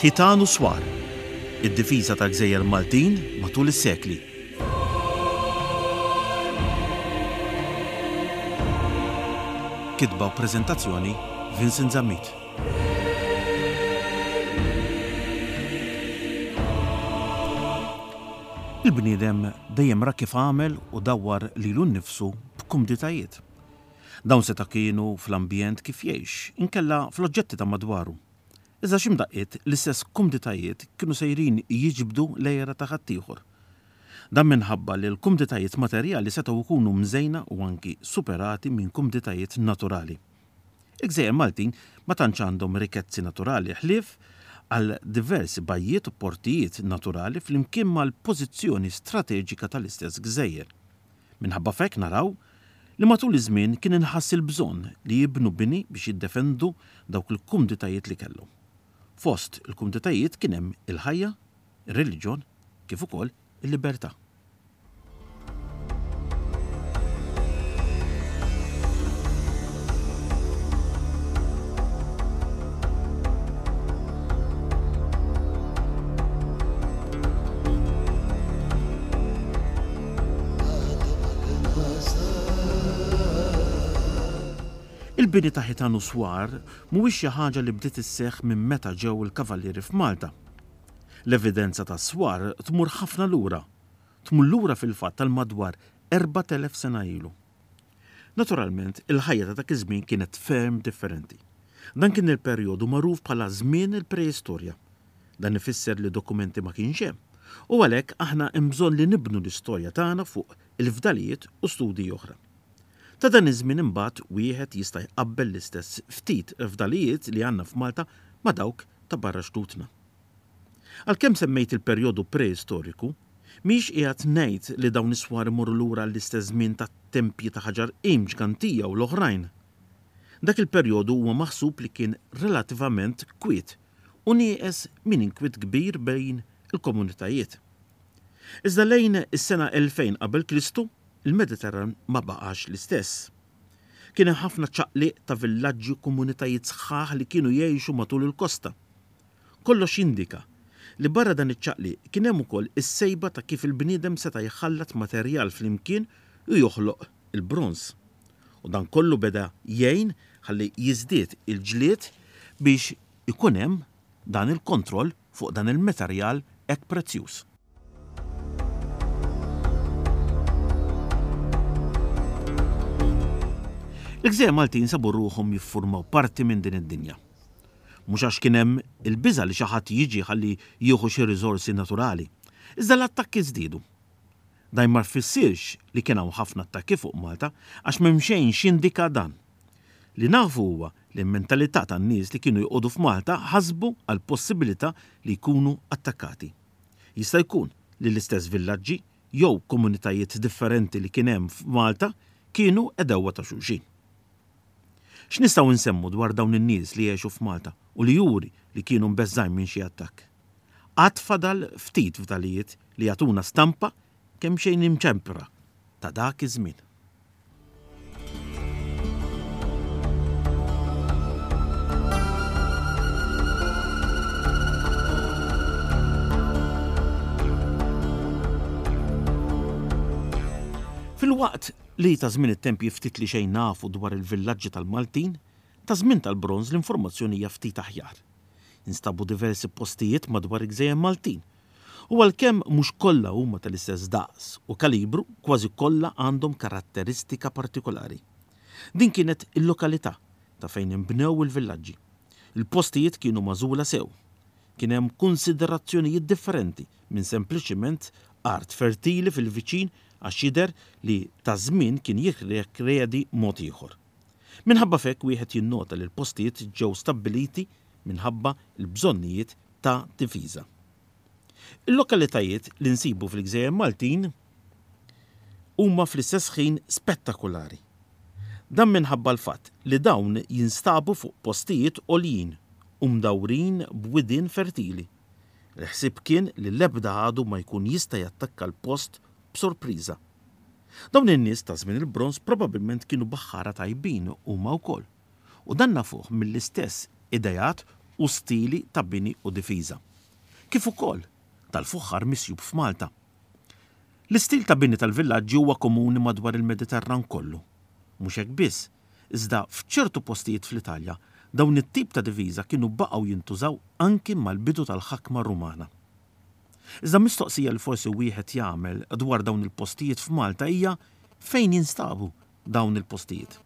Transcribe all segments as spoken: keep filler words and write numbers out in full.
Ħitan u Swar, id-difiża tal-Gżejjer Maltin matul is-sekli. Kitba u preżentazzjoni Vincent Zammit. Il-bniedem dejjem ra kif għamel u dawwar lilu nnifsu b'kumditajiet. Dawn seta' kienu fl-ambjent kif jgħix, inkella fl-oġġetti ta' madwaru. Iżda xi mdaqqiet l-istess kumditajiet kienu sejrin jiġbdu l-għira ta' ħaddieħor. Dan minħabba li l-kumditajiet materjali setgħu jkunu mżejna u anki superati minn kumditajiet naturali. Il-Gżejjer Maltin ma tantx għandhom rikezzi naturali ħlief għal diversi bajjiet u portijiet naturali flimkien mal-pożizzjoni strateġika tal-istess gżejjer. Minħabba f'hekk naraw li matul iż-żmien kien inħass il-bżonn li jibnu bini biex jiddefendu dawk il-kumditajiet li kellhom. Fost il-kumditajiet kien hemm il-ħajja, ir-reliġjon, kif ukoll il-libertà. Il-bini ta' ħitan u swar mhuwiex xi ħaġa li bdiet isseħħ minn meta ġew il-kavallieri f'Malta. L-evidenza ta' swar tmur ħafna lura, tmur lura fil-fatt tal madwar erbat elef sena ilu. Naturalment, il-ħajja ta' dak iż-żmien kienet ferm differenti. Dan kien il-perjodu magħruf bħala żmien il-preistorja. Dan ifisser li dokumenti ma kienx hemm, u għalhekk aħna hemm bżonn li nibnu l-istorja tagħna fuq il-fdalijiet u studji oħra. Ta' dan iż-żmien imbagħad wieħed jista' jqabbel l-istess ftit fdalijiet li għandna f'Malta ma' dawk ta' barra xtutna. Għalkemm semmejt il-perjodu preistoriku, mhix qiegħed ngħid li dawn is-swar imorru lura l-istess żmien tat-tempji ta' ħaġar qim ġgantija u l-oħrajn. Dak il-perjodu huwa maħsub li kien relativament kwiet u nieqes minn inkwiet kbir bejn il-komunitajiet. Iżda lejn is-sena elfejn qabel Kristu, il-Mediterran ma baqax l-istess. Kien hemm ħafna ċaqliq ta' villaġġi u komunitajiet sħaħ li kienu jgħixu matul il-kosta. Kollox jindika li barra dan iċ-ċaqliq kien hemm ukoll is-sejba ta' kif il-bniedem seta' jħallat materjal flimkien u joħloq il-bronż. U dan kollu beda jgħin ħalli jiżdied il-ġlied biex ikun hemm dan il-kontroll fuq dan il-materjal hekk prezzjuż. Il-Gżejjer Maltin sabu ruħhom jiffurmaw parti minn din id-dinja. Mhux għax kien hemm il-biża' li xi ħadd jiġi ħalli jieħu xi riżorsi naturali, iżda l-attakki żdiedu. Dan ma jfissirx li kien hawn ħafna attakki fuq Malta għax m'hemm xejn x'jindika dan. Li nafu huwa li l-mentalità tan-nies li kienu joqogħdu f'Malta ħasbu għal possibilità li jkunu attakkati. Jista' jkun li l-istess villaġġi jew komunitajiet differenti li kien hemm f'Malta kienu għedewwa ta' xulxin. X'nistgħu nsemmu dwar dawn in-nies li għexu f'Malta u li juri li kienu mbeżżgħin minn xi attakk? Għad fadal ftit fdalijiet li jagħtuna stampa kemm xejn imċempra ta' dak iż-żmien. Filwaqt li ta' żmien it-tempji ftit li xejn nafu dwar il-villaġġi tal-Maltin, ta' żmien tal-bronż l-informazzjoni hija ftit aħjar. Instabu diversi postijiet madwar il-Gżejjer Maltin. U għalkemm mhux kollha huma tal-istess daqs u kalibru, kważi kollha għandhom karatteristika partikolari. Din kienet il-lokalità ta' fejn inbnew il-villaġġi. Il-postijiet kienu magħżula sew. Kien hemm konsiderazzjonijiet differenti minn sempliċiment art fertili fil-viċin għax jidher li ta' żmien kien jirrikjedi mod ieħor. Minħabba f'hekk wieħed jinnota li l-postijiet ġew stabbiliti minħabba l-bżonnijiet ta' difiża. Il-lokalitajiet li nsibu fil-Gżejjer Maltin huma fl-istess ħin spettakolari. Dan minħabba l-fatt li dawn jinstabu fuq postijiet għoljin u mdawrin b'widien fertili. Il-ħsieb kien li l-ebda għadu ma jkun jista' jattakka l-post b'sorpriża. Dawn in-nies ta' żmien il-bronż probabbilment kienu baħħara tajbin huma wkoll. U dan nafuh mill-istess idejat u stili ta' bini u difiża, kif ukoll tal-fuħħar misjub f'Malta. L-istil ta' bini tal-villaġġi huwa komuni madwar il-Mediterran kollu. Mhux hekk biss, iżda f'ċertu postijiet fl-Italja dawn it-tip ta' diviża kienu baqgħu jintużaw anki mal-bidu tal-ħakma Rumana. Iżda mistoqsija li forsi wieħed jagħmel dwar dawn il-postijiet f'Malta hija fejn jinstabu dawn il-postijiet.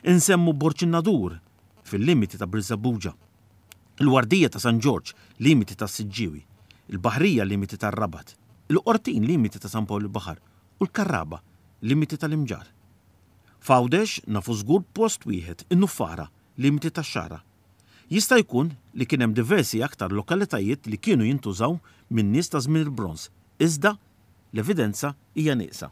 Insemmu Borġ in-Nadur fil-limiti ta' Birżebbuġa, il-Wardija ta' San Ġorġ, limiti ta' Siġġiewi, il-Baħrija limiti tar-Rabat, il-Qortin limiti ta' San Pawl il-Baħar u l-Karraba limiti tal-Imġarr. F'Għawdex nafu żgur post wieħed, in-Nuffara, limiti tax-Xagħra. Jista' jkun li kien hemm diversi aktar lokalitajiet li kienu jintużaw minn nies ta' żmien il-Bronż, iżda l-evidenza hija nieqsa.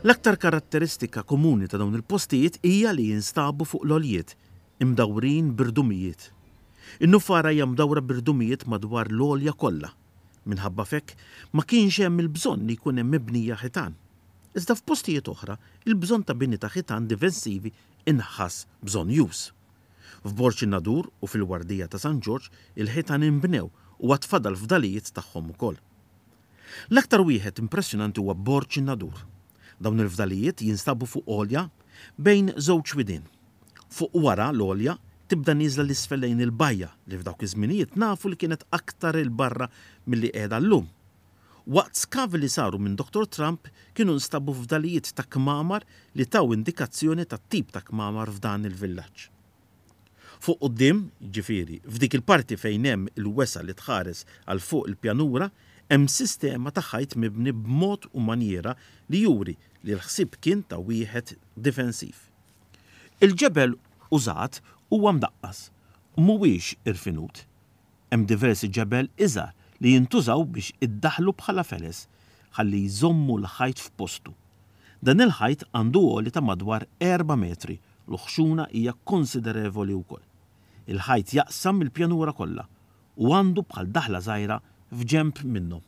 L-aktar karatteristika komuni ta' dawn il-postijiet hija li jinstabu fuq l-għoljiet, imdawrin b'irdumijiet. In-Nuffara hija mdawra b'irdumijiet madwar l-għolja kollha. Minħabba f'hekk ma kienx hemm il-bżonn li jkun hemm mibnija ħitan. Iżda f'postijiet oħra, il-bżonn ta' bini ta' ħitan difensivi inħass bżonnjuż. F'Borġ in-Nadur u fil-Wardija ta' San Ġorġ il-ħitan inbnew u għad fadal fdalijiet tagħhom ukoll. L-aktar wieħed impressjonanti huwa Borġ in-Nadur. Dawn il-fdalijiet jinstabu fuq għolja bejn żewġ widien. Fuq wara l-għolja tibda nieżla l-isfel lejn il-bajja li f'dawk iż-żminijiet nafu li kienet aktar 'il barra milli qiegħda llum. Waqt skavi li saru minn Doktor Trump kienu nstabu fdalijiet ta' kmamar li taw indikazzjoni ta' tip ta' kmamar f'dan il-villaġġ. Fuq quddiem, jiġifieri f'dik il-parti fejn hemm il-wesgħa li tħares għal fuq il-pjanura, hemm sistema ta' ħajt mibni b'mod u manjiera li juri li l-ħsieb kien ta' wieħed difensiv. Il-ġebel użat huwa mdaqqas u mhuwiex irfinut. Hemm diversi ġebel iżgħar li jintużaw biex iddaħħlu bħala feles ħalli jżommu l-ħajt f'postu. Dan il-ħajt għandu għoli ta' madwar erba' metri, l-ħxuna hija konsiderevoli wkoll. Il-ħajt jaqsam il-pjanura kollha u għandu bħal daħla żgħira f'ġenb minnhom.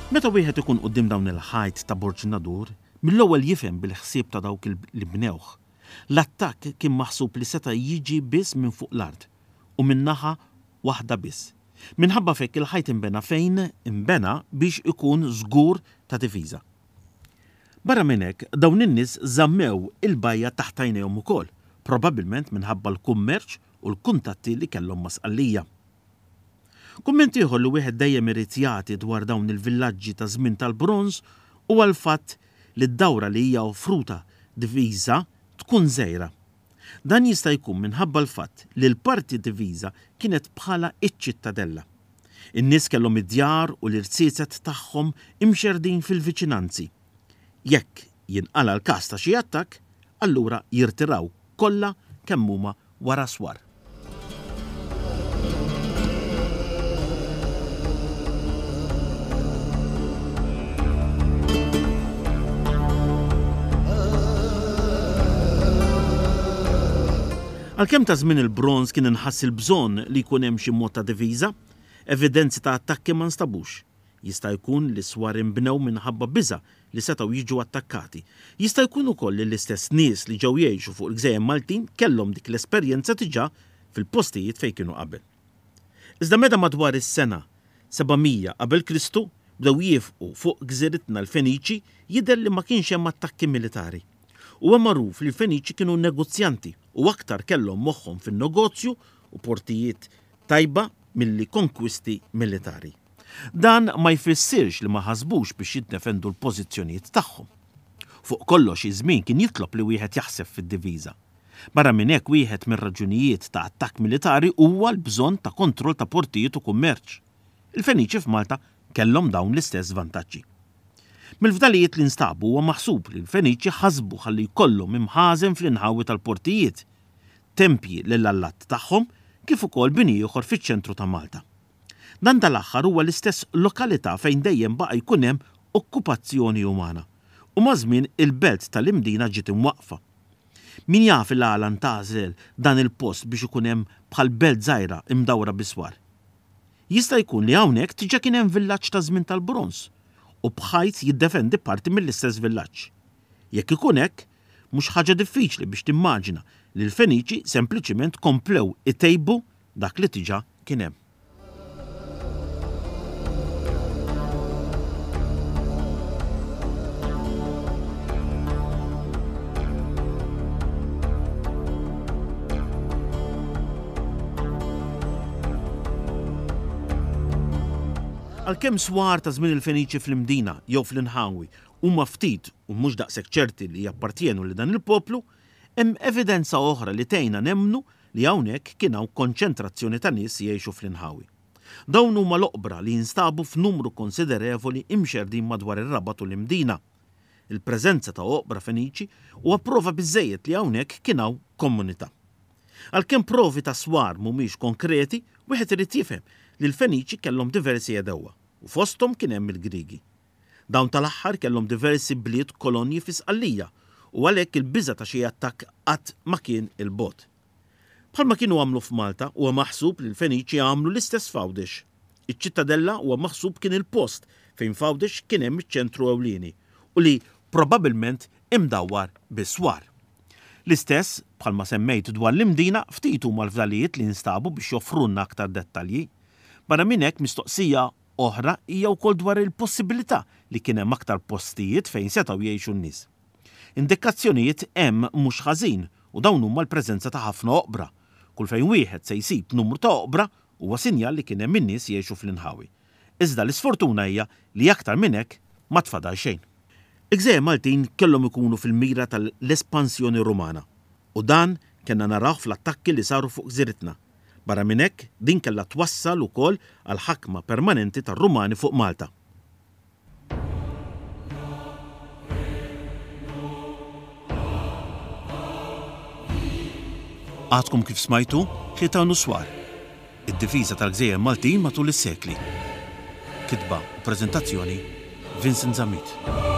Meta wieħed ikun quddiem dawn il-ħajt ta' Borġ in-Nadur, mill-ewwel jifhem bil-ħsieb ta' dawk li bnewh. L-attakk kien maħsub li seta' jiġi biss minn fuq l-art u minn naħa waħda biss. Minħabba f'hekk il-ħajt inbena fejn inbena biex ikun żgur ta' difiża. Barra minn hekk, dawn in-nies żammew il-bajja taħt għajnejhom ukoll, probabbilment minħabba l-kummerċ u l-kuntatti li kellhom ma' Sqallija. Kumment ieħor li wieħed dejjem irid jagħti dwar dawn il-villaġġi ta' żmien tal-bronż huwa l-fatt li d-dawra li hija offruta diviża tkun żgħira. Dan jista' jkun minħabba l-fatt li l-parti diviża kienet bħala iċ-ċittadella. In-nies kellhom id-djar u l-irziezet tagħhom imxerdin fil-viċinanzi. Jekk jinqala l-każ ta' xi attakk, allura jirtiraw kollha kemm huma wara swar. Għalkemm ta' żmien il-bronż kien inħass il-bżonn li jkun hemm xi mod ta' diviża, evidenzi ta' attakki ma nstabux. Jista' jkun li swar inbnew minħabba biża' li setgħu jiġu attakkati. Jista' jkun ukoll li l-istess nies li ġew jgħixu fuq il-gżejjer Maltin kellhom dik l-esperjenza diġà fil-postijiet fejn kienu qabel. Iżda meta madwar is-sena seba' mija qabel Kristu bdew jiefqu fuq gżiritna l-Feniċi, jidher li ma kienx hemm attakki militari. Huwa magħruf li l-Feniċi kienu negozjanti u aktar kellhom moħħhom fin-negozju u portijiet tajba milli konkwisti militari. Dan ma jfissirx li ma ħasbux biex jiddefendu l-pożizzjonijiet tagħhom. Fuq kollox iż-żmien kien jitlob li wieħed jaħseb fid-diviża. Barra minn hekk wieħed mir-raġunijiet ta' attakk militari huwa l-bżonn ta' kontroll ta' portijiet u kummerċ. Il-Feniċi f'Malta kellhom dawn l-istess vantaġġi. Mill-fdalijiet li nstabu huwa maħsub li l-Feniċi ħasbu ħalli jkollhom imħażen fl-inħawi tal-portijiet. tempji lill-allat tagħhom kif ukoll bini ieħor fiċ-ċentru ta' Malta. Dan tal-aħħar huwa l-istess lokalità fejn dejjem baqa' jkun hemm okkupazzjoni umana u maż-żmien il-belt tal-Imdina ġiet imwaqqfa. Min jaf il-għala ntgħażel dan il-post biex ikun hemm bħal belt żgħira imdawra bi swar. Jista' jkun li hawnhekk diġà kien hemm villaġġ ta' żmien tal-Bronż u b'ħajt jiddefendi parti mill-istess villaġġ. Jekk ikun hekk, mhux ħaġa diffiċli biex timmaġina li l-Feniċi sempliċiment komplew itejbu dak li diġà kien hemm. Għalkemm swar ta' żmien il-Feniċi fl-Imdina jew fl-inħawi huma ftit u mhux daqshekk ċerti li jappartjenu lil dan il-poplu, hemm evidenza oħra li tgħinna nemmnu li hawnhekk kien hawn konċentrazzjoni ta' nies jgħixu fl-inħawi. Dawn huma l-oqbra li jinstabu f'numru konsiderevoli imxerrdin madwar ir-Rabat u l-Imdina. Il-preżenza ta' oqbra Feniċi huwa prova biżżejjed li hawnhekk kien hawn komunità. Għalkemm provi ta' swar mhumiex konkreti, wieħed irid jifhem li l-Feniċi kellhom diversi għedewwa u fosthom kien hemm il-Griegi. Dawn tal-aħħar kellhom diversi bliet kolonji fi Sqallija u għalhekk il-biża' ta' xi attakk qatt ma kien 'il bogħod. Bħalma kienu għamlu f'Malta, huwa maħsub li l-Feniċi għamlu l-istess f'Għawdex. Iċ-Ċittadella huwa maħsub kien il-post fejn f'Għawdex kien hemm iċ-ċentru ewlieni u li probabbilment imdawwar bi swar. L-istess, bħalma semmejt dwar l-Imdina, ftit huma l-fdalijiet li nstabu biex joffrulna aktar dettalji. Barra minn hekk, mistoqsija oħra hija wkoll dwar il-possibilità li kien hemm aktar postijiet fejn setgħu jgħixu n-nies. Indikazzjonijiet hemm mhux ħażin u dawn huma l-preżenza ta' ħafna oqbra. Kull fejn wieħed se jsib numru ta' oqbra huwa sinjal li kien hemm in-nies jgħixu fl-inħawi. Iżda l-isfortuna hija li aktar minn hekk ma tfadal xejn. Il-gżejjer Maltin kellhom ikunu fil-mira tal-espansjoni Rumana u dan kellna narawh fl-attakki li saru fuq gżiritna. Barra minn hekk, din kellha twassal ukoll għal ħakma permanenti tar-Rumani fuq Malta. Għadkom kif smajtu Ħitan u Swar, id-difiża tal-gżejjer Maltin matul is-sekli. Kitba u preżentazzjoni Vincent Zammit.